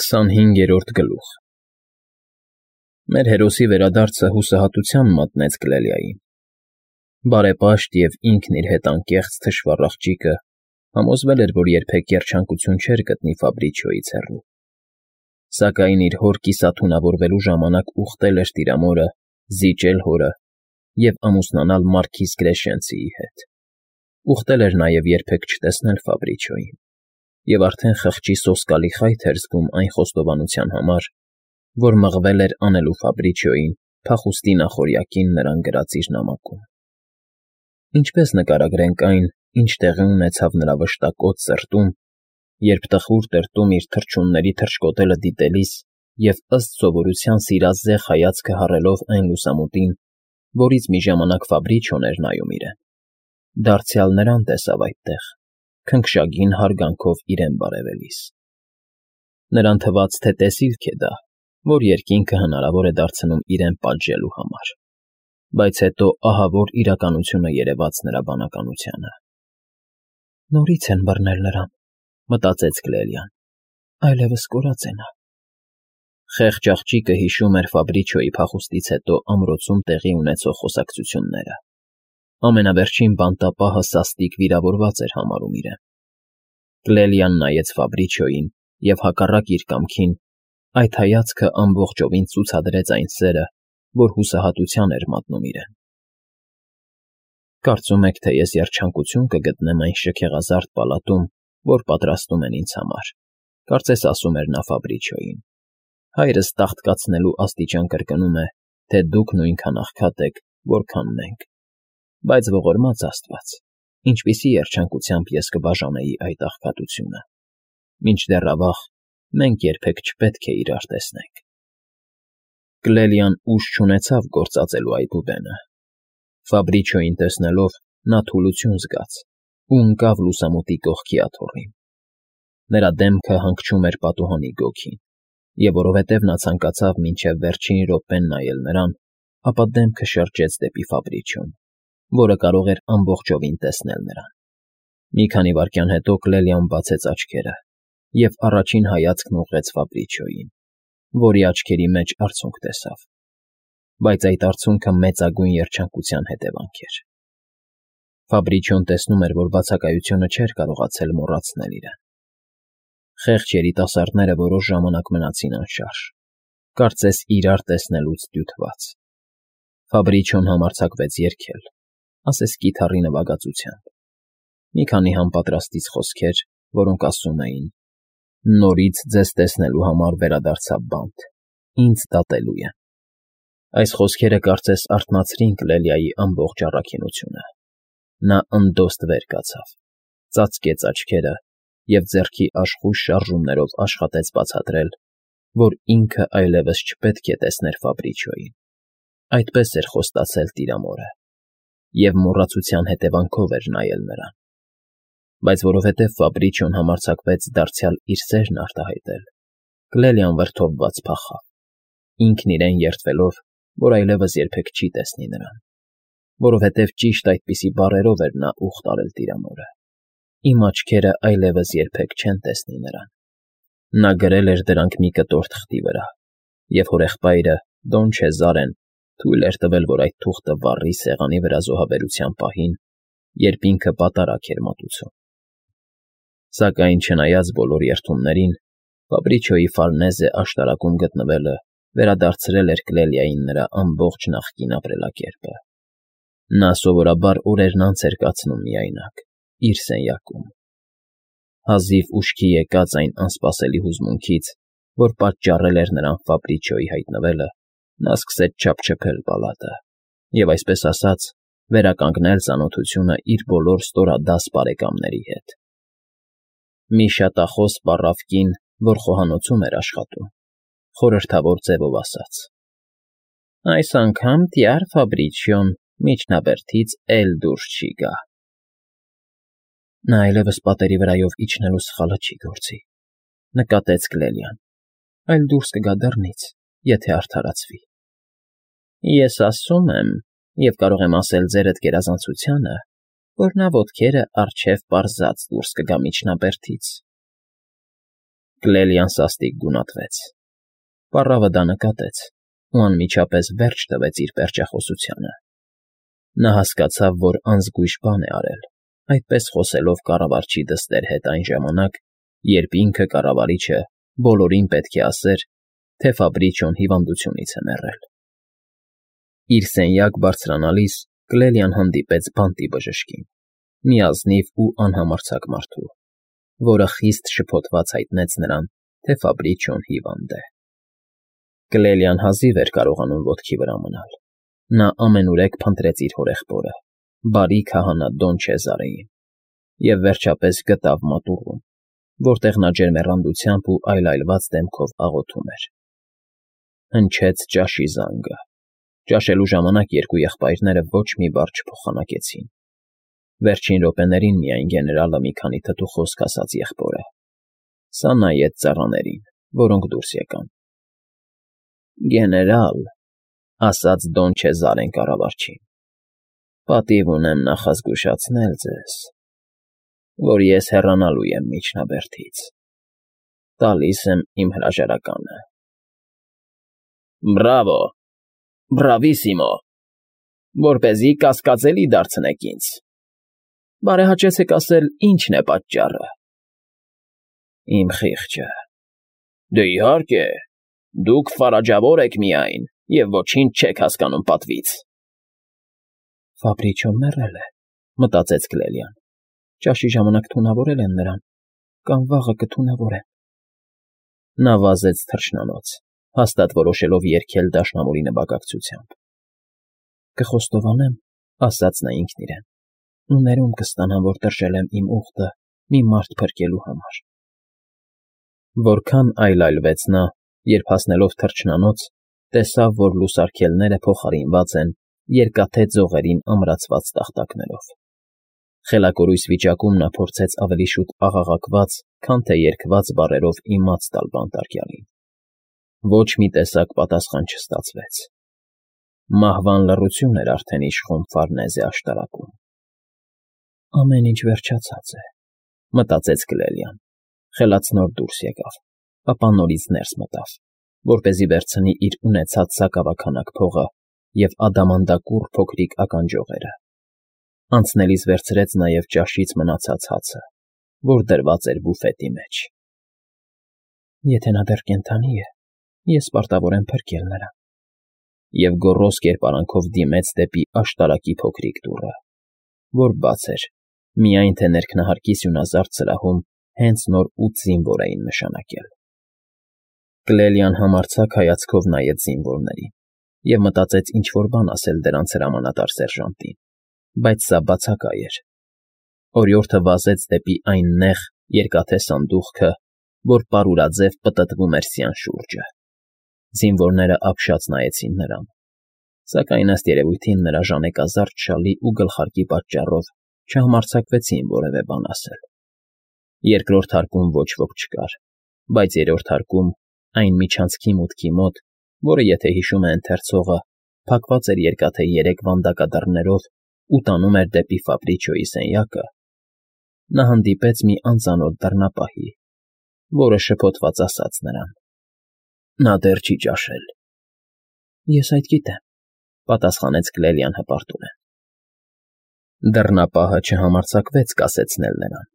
25-րդ գլուխ Մեր հերոսի վերադարձը հուսահատության մատնեց Գլելիային։ Բարեպաշտ և ինքն իր հետ անկեղծ թշվառ աղջիկը համոզվել էր, որ երբեք երջանկություն չէր գտնի Ֆաբրիչիոյից հեռու, սակայն իր հոր կիսաթունավորվելու ժամանակ ուխտել էր տիրամորը, զիջել հորը և ամուսնանալ մարքիզ Կրեշենցիի հետ։ Ուխտել էր նաև երբեք չտեսնել Ֆաբրիչիոյին և արդեն խղճի սոսկալի խայթ էր զգում այն խոստովանության համար, որ մղվել էր անելու Ֆաբրիչիոյին փախուստի նախօրյակին նրան գրած իր նամակում։ Ինչպես նկարագրենք այն, ինչ տեղի ունեցավ նրա վշտակոտ սրտում, երբ տխուր տրտում իր թռչունների թռչկոտելը դիտելիս և ըստ սովորության սիրազեղ հայացքը հառելով այն լուսամուտին, որից մի ժամանակ Ֆաբրիչիոն էր նայում իրեն, դարձյալ նրան տեսավ այդտեղ, քնքշագին հարգանքով իրեն բարևելիս։ Նրան թվաց, թե տեսիլք է դա, որ երկինքը հնարավոր է դարձնում իրեն պատժելու համար, բայց հետո ահավոր իրականությունը երևաց նրա բանականությանը։ Նորից են բռնել նրան, մտածեց Գլելիան, այլևս կորած է նա։ Խեղճ աղջիկը հիշում էր Ֆաբրիչիոյի փախուստից հետո ամրոցում տեղի ունեցող խոսակցությունները։ Ամենավերջին բանտապահը սաստիկ վիրավորված էր համարում իրեն։ Գլելիան նայեց Ֆաբրիչիոյին և հակառակ իր կամքին այդ հայացքը ամբողջովին ցուցադրեց այն սերը, որ հուսահատության էր մատնում իրեն։ Կարծում եք, թե ես երջանկություն կգտնեմ այն շքեղազարդ պալատում, որ պատրաստում են ինձ համար, կարծես ասում էր նա Ֆաբրիչիոյին։ Հայրս տաղտկացնելու աստիճան կրկնում է, թե դուք նույնքան աղքատ եք, որքան մենք, բայց ողորմած Աստված, ինչպիսի երջանկությամբ ես կբաժանեի այդ աղքատությունը։ Մինչդեռ ավաղ մենք երբեք չպետք է իրար տեսնենք։ Գլելիան ուժ չունեցավ գործածելու այբուբենը։ Ֆաբրիչիոյին տեսնելով նա թուլություն զգաց ու ընկավ լուսամուտի կողքի աթոռին։ Նրա դեմքը հանգչում էր պատուհանի գոգին, և որովհետև նա ցանկացավ մինչև վերջին րոպեն նայել նրան, ապա դեմքը շրջեց դեպի Ֆաբրիչիոն, որը կարող էր ամբողջովին տեսնել նրան։ Մի քանի վայրկյան հետո Գլելիան բացեց աչքերը և առաջին հայացքն ուղղեց Ֆաբրիչիոյին, որի աչքերի մեջ արցունք տեսավ, բայց այդ արցունքը մեծագույն երջանկության հետևանք էր։ Ֆաբրիչիոն տեսնում էր, որ բացակայությունը չէր կարողացել մոռացնել իրեն։ Խեղճ երիտասարդները որոշ ժամանակ մնացին անշարժ, կարծես իրար տեսնելուց դյութված։ Ֆաբրիչիոն համարձակվեց երգել, ասես կիթառի նվագածությամբ։ Մի քանի համապատրաստից խոսքեր, որոնք ասում էին. «Նորից ձեզ տեսնելու համար վերադարձա բանտ, ինձ դատելու են»։ Այս խոսքերը կարծես արթնացրին Գլելիայի ամբողջ առաքինությունը։ Նա ընդոստ վեր կացավ, ծածկեց աչքերը և ձեռքի աշխույժ շարժումներով աշխատեց բացատրել, որ ինքը այլևս չպետք է տեսներ Ֆաբրիչիոյին։ Այդպես էր խոստացել տիրամորը, և մոռացության հետևանքով էր նայել նրան։ Բայց որովհետև Ֆաբրիչիոն համարձակվեց դարձյալ իր սերն արտահայտել, Գլելիան վրդովված փախավ, ինքն իրեն երդվելով, որ այլևս երբեք չի տեսնի նրան, որովհետև ճիշտ այդպիսի բառերով էր նա ուխտ արել տիրամորը. «Իմ աչքերը այլևս երբեք չեն տեսնի նրան»։ Նա գրել էր դրանք մի կտոր թղթի վրա, և հորեղբայրը, Դոն Չեզարեն, թույլ էր տվել, որ այդ թուղթը վառի սեղանի վրա զոհաբերության պահին, երբ ինքը պատարագ էր մատուցում։ Սակայն չնայած բոլոր երդումներին, Ֆաբրիչիոյի Ֆարնեզե աշտարակում գտնվելը վերադարձրել էր Գլելիային նրա ամբողջ նախկին ապրելակերպը։ Նա սովորաբար օրերն անց էր կացնում միայնակ, իր սենյակում։ Հազիվ ուշքի եկած այն անսպասելի հուզմունքից, որ պատճառել էր նրան Ֆաբրիչիոյի հայտնվելը, նա սկսեց չափչփել պալատը և, այսպես ասած, վերականգնել ծանոթությունը իր բոլոր ստորադաս բարեկամների հետ։ Մի շատախոս պառավ կին, որ խոհանոցում էր աշխատում, խորհրդավոր ձևով ասաց. «Այս անգամ տյար Ֆաբրիչիոն միջնաբերդից էլ դուրս չի գա»։ Նա այլևս պատերի վրայով իջնելու սխալը չի գործի, նկատեց Գլելիան, այլ դուրս կգա դռնից, եթե արդարացվի։ Ես ասում եմ, և կարող եմ ասել ձերդ գերազանցությանը, որ նա ոտքերը առջև պարզած դուրս կգա միջնաբերդից։ Կլելիան սաստիկ գունատվեց։ Պառավը դա նկատեց ու անմիջապես վերջ տվեց իր պերճախոսությանը։ Նա հասկացավ, որ անզգույշ բան է արել, այդպես խոսելով կառավարչի դստեր հետ այն ժամանակ, երբ ինքը կառավարիչը բոլորին պետք է ասեր, թե Ֆաբրիչոն հիվանդությունից է մեռել։ Իր սենյակ բարձրանալիս Կլելիան հանդիպեց բանտի բժշկին, մի ազնիվ ու անհամարձակ մարդու, որը խիստ շփոթված հայտնեց նրան, թե Ֆաբրիչոն հիվանդ է։ Կլելիան հազիվ էր կարողանում ոտքի վրա մնալ։ Նա ամենուրեք փնտրեց իր հորեղբորը, բարի քահանա Դոն Չեզարեին, և վերջապես գտավ մատուռում, որտեղ նա ջերմեռանդությամբ ու այլայլված դեմքով աղոթում էր։ Հնչեց ճաշի զանգը։ Ճաշելու ժամանակ երկու եղբայրները ոչ մի բառ չփոխանակեցին։ Վերջին րոպեներին միայն գեներալը մի քանի թթու խոսք ասաց եղբորը։ Սա նայեց ծառաներին, որոնք դուրս եկան։ Գեներալ, ասաց Դոն Չեզարեն կառավարչին, պատիվ ունեմ նախազգուշացնել ձեզ, որ ես հեռանալու եմ միջնաբերդից։ Տալիս եմ իմ հրաժարականը։ Բրավո, բրավիսիմո, որպեսզի կասկածելի դարձնեք ինձ։ Բարեհաճեցեք ասել, ինչն է պատճառը։ Իմ խիղճը։ Դե իհարկե, դուք ֆարաջավոր եք միայն և ոչինչ չեք հասկանում պատվից։ Ֆաբրիչոն մեռել է, մտածեց Կլելիան։ Ճաշի ժամանակ թունավորել են նրան, կամ վաղը կթունավորեն։ Նա վազեց թռչնանոց, հաստատ որոշելով երգել դաշնամուրի նվագակցությամբ։ Կխոստովանեմ, ասաց նա ինքն իրեն, ու ներում կստանամ, որ տրժել եմ իմ ուղտը մի մարդ փրկելու համար։ Որքան այլայլվեց նա, երբ հասնելով թռչնանոց, տեսավ, որ լուսարգելները փոխարինված են երկաթե ձողերին ամրացված տախտակներով։ Խելակորույս վիճակում նա փորձեց ավելի շուտ աղաղակված, քան թե երգված բառերով իմաց տալ բանտարկյալին։ Ոչ մի տեսակ պատասխան չստացվեց։ Մահվան լռություն էր արդեն իշխում Ֆարնեզե աշտարակում։ Ամեն ինչ վերջացած է, մտածեց Կլելիան, խելացնոր դուրս եկավ, ապա նորից ներս մտավ, որպեսզի վերցնի իր ունեցած սակավաքանակ փողը և ադամանդակուռ փոքրիկ ականջողերը։ Անցնելիս վերցրեց նաև ճաշից մնացած հացը, որ դրված էր բուֆետի մեջ։ Եթե նա դեռ կենդանի է, ես պարտավոր եմ փրկել նրան։ Եվ գոռոզ կերպարանքով դիմեց դեպի աշտարակի փոքրիկ դուռը, որ բաց էր, միայն թե ներքնահարկի սյունազարդ սրահում հենց նոր 8 զինվոր էին նշանակել։ Կլելիան համարձակ հայացքով նայեց զինվորներին և մտածեց ինչ-որ բան ասել դրանց հրամանատար սերժանտին, բայց սա բացակայ էր։ Օրիորդը վազեց դեպի այն նեղ, երկաթե սանդուղքը, որ պարուրաձև պտտվում էր սյան շուրջը։ Զինվորները ապշած նայեցին նրան, սակայն ըստ երևույթին նրա ժանեկազարդ շալի ու գլխարկի պատճառով չհամարձակվեցին որևէ բան ասել։ Երկրորդ հարկում ոչ ոք չկար, բայց երրորդ հարկում, այն միջանցքի մուտքի մոտ, որը, եթե հիշում է ընթերցողը, փակված էր երկաթե 3 վանդակադռներով ու տանում էր դեպի Ֆաբրիչոյի սենյակը, նա հանդիպեց մի անծանոթ դռնապահի, որը շփոթված ասաց նրան. Նա դեռ չի ճաշել։ Ես այդ գիտեմ, պատասխանեց Կլելիան հպարտորեն։ Դռնապահը չհամարձակվեց կասեցնել նրան։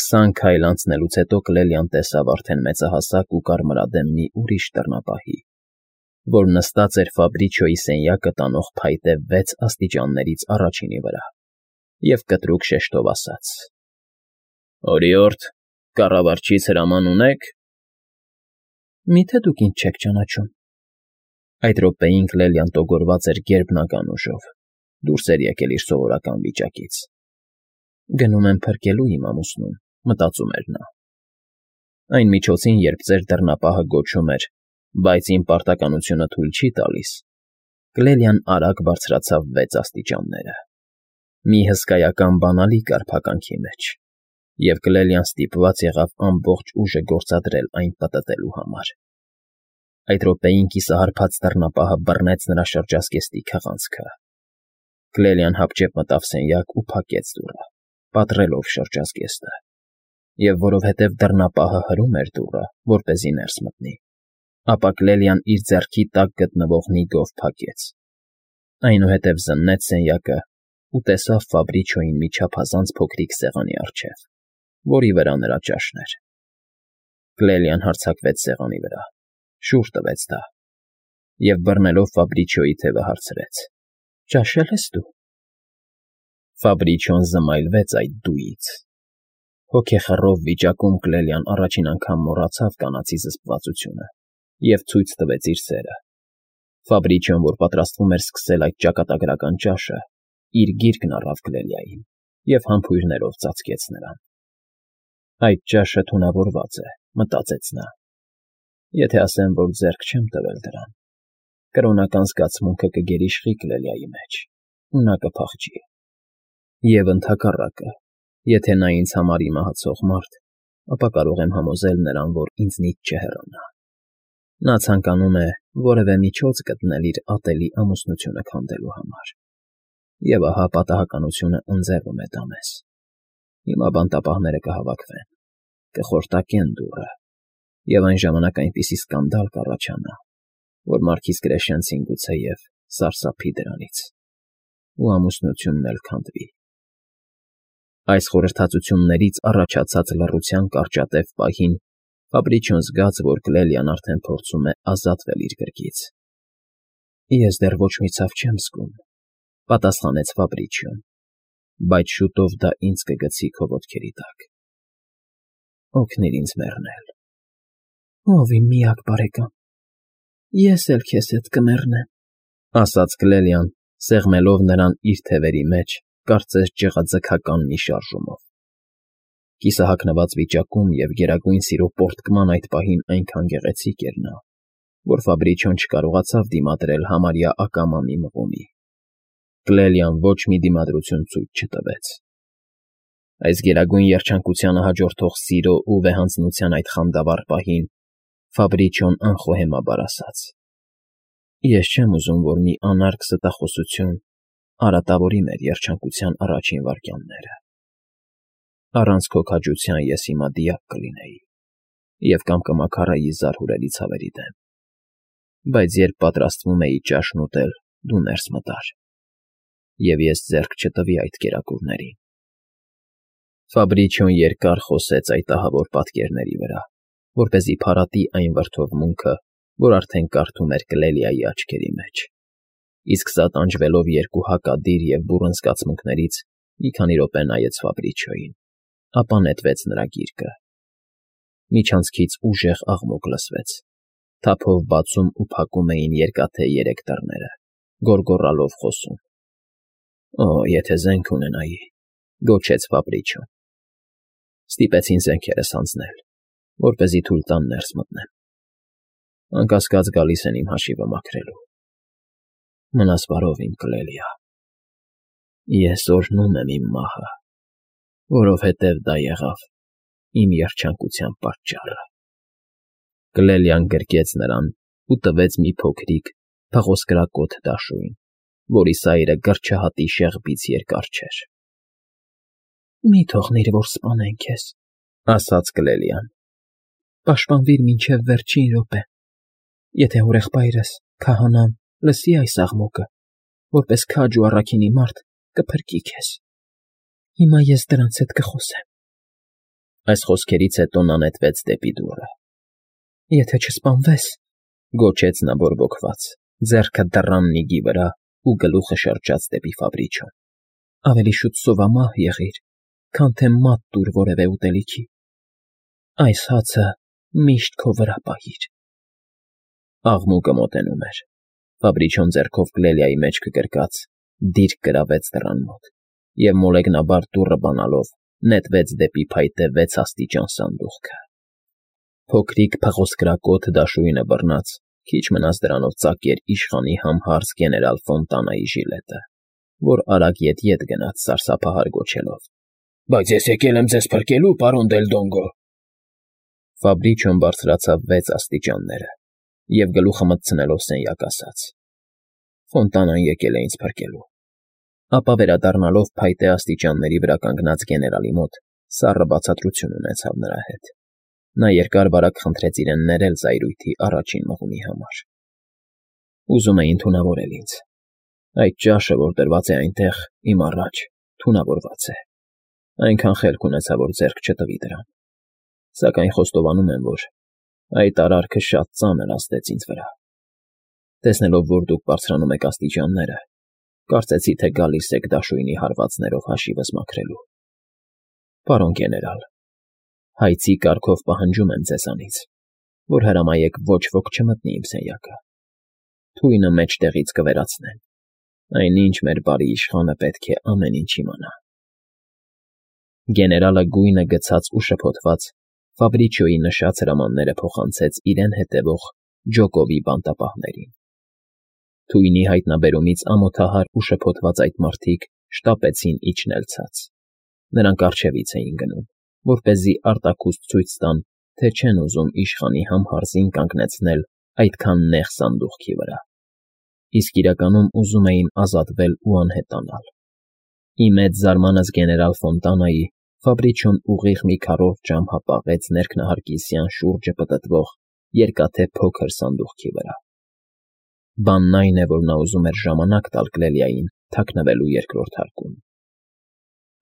20 քայլ անցնելուց հետո Կլելիան տեսավ արդեն մեծահասակ ու կարմրադեմ մի ուրիշ դռնապահի, որ նստած էր Ֆաբրիչոյի սենյակը տանող փայտե 6 աստիճաններից առաջինի վրա, և կտրուկ շեշտով ասաց. Օրիորդ, կառավարչից հրաման ունեք։ Միթե դուք ինձ չեք ճանաչում։ Այդ րոպեին Կլելիան տոգորված էր գերբնական ուժով, դուրս էր եկել իր սովորական վիճակից։ Գնում եմ փրկելու իմ ամուսնուն, մտածում էր նա։ Այն միջոցին, երբ ձեր դռնապահը գոչում էր, բայց իմ պարտականությունը թույլ չի տալիս, Կլելիան արագ բարձրացավ 6 աստիճանները։ Մի հսկայական բանալի կար փականքի մեջ, և Կլելիան ստիպված եղավ ամբողջ ուժը գործադրել այն պտտելու համար։ Այդ րոպեին կիսահարբած դռնապահը բռնեց նրա շրջազգեստի քղանցքը։ Կլելիան հապճեպ մտավ սենյակ ու փակեց դուռը, պատռելով շրջազգեստը։ Եվ որովհետև դռնապահը հրում էր դուռը, որպեսզի ներս մտնի, ապա Կլելիան իր ձեռքի տակ գտնվող նիգով փակեց. այնուհետև զննեց սենյակը ու տեսավ Ֆաբրիչոյին մի չափազանց փոքրիկ սեղանի առջև, որի վրա նրա ճաշն էր։ Կլելիան հարձակվեց սեղանի վրա, շուռ տվեց դա, և բռնելով Ֆաբրիչոյի թևը հարցրեց. «Ճաշել ես դու»։ Ֆաբրիչոն զմայլվեց այդ «դուից»։ Հոգեխռով վիճակում Կլելիան առաջին անգամ մոռացավ կանացի զսպվածությունը և ցույց տվեց իր սերը։ Ֆաբրիչոն, որ պատրաստվում էր սկսել այդ ճակատագրական ճաշը, իր գիրկն առավ Կլելիային և համբույրներով ծածկեց նրան։ «Այդ ճաշը թունավորված է», մտածեց նա։ «Եթե ասեմ, որ ձեռք չեմ տվել դրան, կրոնական զգացմունքը կգերիշխի Կլելիայի մեջ, ու նա կփախչի։ Եվ ընդհակառակը, եթե նա ինձ համար իմացող մարդ, ապա կարող եմ համոզել նրան, որ ինձնից չհեռանա։ Նա ցանկանում է որևէ միջոց գտնել իր ատելի ամուսնությունը քանդելու համար։ Եվ ահա պատահականությունը ընձեռում է դա մեզ։ Հիմա բանտապահները կհավաքվեն, կխորտակեն դուռը, և այն ժամանակ այնպիսի սկանդալ կառաջանա, որ Մարքիզ Կրեշենցին գուցեև սարսափի դրանից, ու ամուսնությունն էլ քանդվի»։ Այս խորհրդածություններից առաջացած լռության կարճատև պահին Ֆաբրիչոն զգաց, որ Կլելիան արդեն փորձում է ազատվել իր գրկից։ «Ես դեռ ոչ մի ցավ չեմ զգում», պատասխանեց Ֆաբրիչոն, «բայց շուտով դա ինձ կգցի քո ոտքերի տակ։ Օգնիր ինձ մեռնել»։ «Ով իմ միակ բարեկամ, ես էլ քեզ հետ կմեռնեմ», ասաց Կլելիան, սեղմելով նրան իր թևերի մեջ, կարծես ճղաձգական մի շարժումով։ Կիսահագնված վիճակում և գերագույն սիրո պոռթկման այդ պահին այնքան գեղեցիկ էր նա, որ Ֆաբրիչոն չկարողացավ դիմադրել համարյա ակամա մի մղումի։ Կլելիան ոչ մի դիմադրություն ցույց չտվեց։ Այս գերագույն երջանկությանը հաջորդող սիրո ու վեհանձնության այդ խանդավառ պահին Ֆաբրիչոն անխոհեմաբար ասաց. «Ես չեմ ուզում, որ մի անարգ ստախոսություն արատավորի մեր երջանկության առաջին վայրկյանները։ Առանց քո քաջության ես հիմա դիակ կլինեի և կամ կմաքարայի զարհուրելի ցավերի դեմ, բայց երբ պատրաստվում էի ճաշն ուտել, դու ներս մտար, և ես ձեռք չտվի այդ կերակուրներին»։ Ֆաբրիչոն երկար խոսեց այդ ահավոր պատկերների վրա, որպեսզի փարատի այն վրդովմունքը, որ արդեն կարդում էր Կլելիայի աչքերի մեջ, իսկ սա տանջվելով երկու հակադիր և բուռն զգացմունքներից մի քանի րոպե նայեց Ֆաբրիչոյին, ապա նետվեց նրա գիրկը։ Միջանցքից ուժեղ աղմուկ լսվեց, թափով բացում ու փակում էին երկաթե երեք դռները, գոռգոռալով խոսում։ «Օ, եթե զենք ունենայի», գոչեց Ֆաբրիչոն։ Ստիպեցին զենքերս հանձնել, որպեսզի թույլ տան ներս մտնեմ։ Անկասկած գալիս են իմ հաշիվը մաքրելու։ Մնաս բարով, իմ Կլելիա։ Ես օրհնում եմ իմ մահը, որովհետև դա եղավ իմ երջանկության պատճառը։ Կլելիան գրկեց նրան ու տվեց մի փոքրիկ, փղոսկրակոթ դաշույն, որի սայրը գրչահատի շեղբից երկար չէր։ «Մի թողնիր, որ սպանեն քեզ», ասաց Կլելիան։ «Պաշտպանվիր մինչև վերջին րոպե։ Եթե հորեղբայրս, քահանան, լսի այս աղմուկը, որպես քաջ ու առաքինի մարդ կփրկի քեզ։ Հիմա ես դրանց հետ կխոսեմ»։ Այս խոսքերից հետո նա նետվեց դեպի դուռը։ «Եթե չսպանվես», գոչեց նա բորբոքված, ձեռքը դռան նիգի վրա ու գլուխը շրջաց դեպի Ֆաբրիչոն, «ավելի շուտ սովամահ եղիր, քան թե մատ տուր որևէ ուտելիքի։ Այս հացը միշտ քո վրա պահիր»։ Աղմուկը մոտենում էր։ Ֆաբրիչոն ձեռքով Կլելիայի մեջքը գրկած դիրք գրավեց դռան մոտ և մոլեգնաբար դուռը բանալով նետվեց դեպի փայտե 6 աստիճան սանդուղքը։ Փոքրիկ փղոսկրակոթ դաշույնը բռնած, քիչ մնաց դրանով ծակեր իշխանի համհարց գեներալ Ֆոնտանայի ժիլետը, որ արագ ետ գնաց սարսափահար գոչելով. «Բայց ես եկել եմ ձեզ փրկելու, պարոն Դել Դոնգո»։ Ֆաբրիչոն բարձրացավ 6 աստիճանները և գլուխը մտցնելով սենյակ ասաց. «Ֆոնտանան եկել է ինձ փրկելու»։ Ապա վերադառնալով փայտե աստիճանների վրա կանգնած գեներալի մոտ, Սառը բացատրություն ունեցավ նրա հետ։ Նա երկար-բարակ խնդրեց իրեն ներել զայրույթի առաջին մղումի համար։ Ուզում էին թունավորել ինձ։ Այդ ճաշը, որ դրված է այնտեղ, իմ առաջ, թունավորված է։ Այնքան խելք ունեցա, որ ձեռք չտվի դրան։ Սակայն խոստովանում եմ, որ այդ արարքը շատ ծանր ազդեց ինձ վրա։ Տեսնելով, որ դուք բարձրանում եք աստիճանները, կարծեցի, թե գալիս եք դաշույնի հարվածներով հաշիվս մաքրելու։ Պարոն գեներալ, հայցի կարգով պահանջում եմ ձեզանից, որ հրամայեք ոչ ոք չմտնի իմ սենյակը։ Թույնը մեջտեղից կվերացնեն։ Այնինչ մեր բարի իշխանը պետք է ամեն ինչ իմանա։ Գեներալը գույնը գցած ու շփոթված Ֆաբրիչիոյի նշած հրամանները փոխանցեց իրեն հետևող Ջոկովի բանտապահներին։ Թույնի հայտնաբերումից ամոթահար ու շփոթված այդ մարդիկ շտապեցին իջնել ցած։ Նրանք առջևից էին գնում, որպեսզի արտաքուստ ցույց տան, թե չեն ուզում իշխանի համհարզին կանգնեցնել այդքան նեղ սանդուղքի վրա։ Իսկ իրականում ուզում էին ազատվել ու անհետանալ։ Ի մեծ զարմանս գեներալ Ֆոնտանայի Ֆաբրիչիոն ուղիղ մի քառորդ ժամ հապաղեց ներքնահարկիսյան շուրջը պտտվող երկաթե փոքր սանդուղքի վրա։ Բանն այն է, որ նա ուզում էր ժամանակ տալ Կլելիային թաքնվելու երկրորդ հարկում։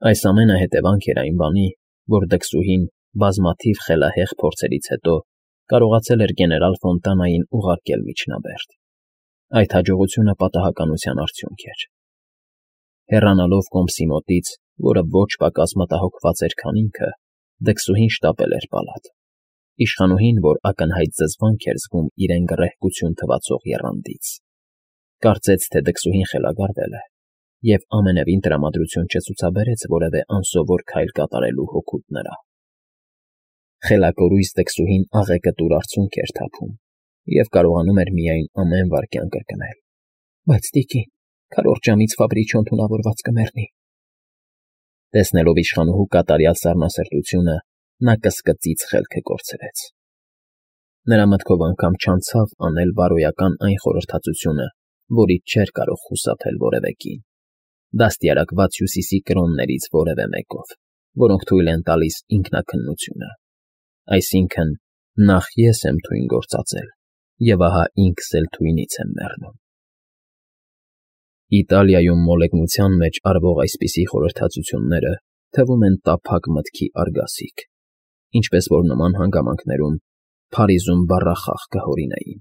Այս ամենը հետևանք էր այն բանի, որ դքսուհին բազմաթիվ խելահեղ փորձերից հետո կարողացել էր գեներալ Ֆոնտանային ուղարկել միջնաբերդ։ Այդ հաջողությունը պատահականության արդյունք էր։ Հեռանալով կոմսի մոտից, որը ոչ պակաս մտահոգված էր, քան ինքը, դքսուհին շտապել էր պալատ։ Իշխանուհին, որ ակնհայտ զզվանք էր զգում իրեն գռեհկություն թվացող եռանդից, կարծեց, թե դքսուհին խելագարվել է և ամենևին տրամադրություն չցուցաբերեց որևէ անսովոր քայլ կատարելու հօգուտ նրա։ Խելակորույս դքսուհին աղեկտուր արցունք էր թափում և կարողանում էր միայն ամեն վայրկյան կրկնել. «Բայց, տիկին, քառորդ ժամից Ֆաբրիչիոն թունավորված կմեռնի»։ Տեսնելով իշխանուհու կատարյալ սառնասրտությունը, նա կսկծից խելքը կորցրեց։ Նրա մտքով անգամ չանցավ անել բարոյական այն խորհրդածությունը, որից չէր կարող խուսափել որևէ կին, դաստիարակված Հյուսիսի կրոններից որևէ մեկով, որոնք թույլ են տալիս ինքնաքննությունը։ Այսինքն՝ նախ ես եմ թույն գործածել, և ահա ինքս էլ թույնից եմ մեռնում։ Իտալիայում մոլեգնության մեջ արվող այսպիսի խորհրդածությունները թվում են տափակ մտքի արգասիք, ինչպես որ նման հանգամանքներում Փարիզում բառախաղ կհորինեին։